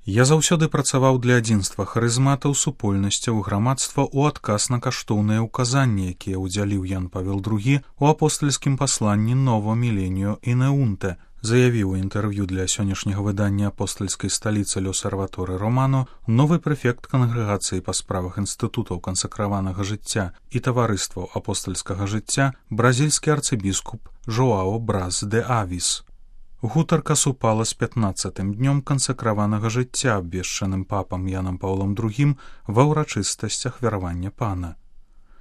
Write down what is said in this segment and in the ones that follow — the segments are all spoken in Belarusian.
Я заўсёды працаваў для адзінства харызматаў, супольнасцяў, грамадства ў адказ на каштоўныя ўказанні, якія ўдзяліў Ян Павел II у апостальскім пасланні «Novo Millennio Ineunte», заявіў у інтэрв'ю для сённяшняга выдання апостальскай сталіцы «L'Osservatore Romano» новы прэфект кангрэгацыі па справах інстытутаў кансакраванага жыцця і таварыстваў апостальскага жыцця бразільскі арцыбіскуп Жоао Брас де Авіс. Гутарка супала з 15-тым днём кансакраванага жыцця, абвешчаным папам Янам Паўлом II ва ўрачыстасцях вяравання пана.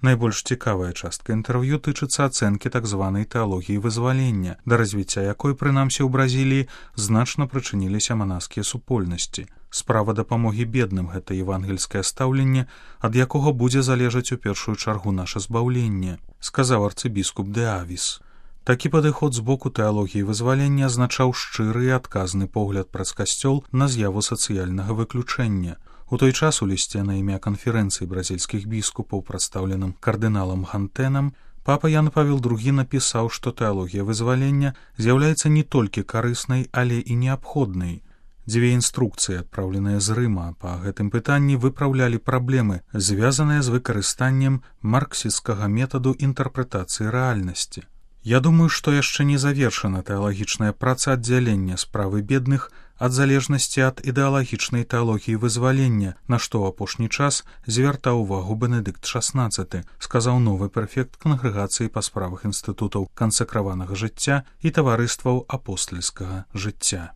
Найбольш цікавая частка інтэрв'ю тычыцца ацэнкі так званай тэалогіі вызвалення, да развіцця якой, прынамсі ў Бразіліі, значна прычыніліся манаскія супольнасці. Справа дапамогі бедным — гэта евангельскае стаўленне, ад якога будзе залежаць у першую чаргу наша збаўленне, сказаў арцыбіскуп де Авіс. Такі падыход з боку тэалогіі вызвалення азначаў шчыры і адказны погляд праз касцёл на з'яву сацыяльнага выключэння. У той час у лісце на імя канферэнцыі бразільскіх біскупаў, прадстаўленым кардыналам Хантэнам, папа Ян Павел II напісаў, што тэалогія вызвалення з'яўляецца не толькі карыснай, але і неабходнай. Дзве інструкцыі, адпраўленыя з Рыма, па гэтым пытанні выпраўлялі праблемы, звязаныя з выкарыстаннем марксісцкага метаду інтэрпрэтацыі рэальнасці. Я думаю, што яшчэ не завершана тэалагічная праца аддзялення справы бедных ад залежнасці ад ідэалагічнай тэалогіі вызвалення, на што ў апошні час звяртаў увагу Бенедыкт XVI, сказаў новы прэфект кангрэгацыі па справах інстытутаў кансакраванага жыцця і таварыстваў апостальскага жыцця.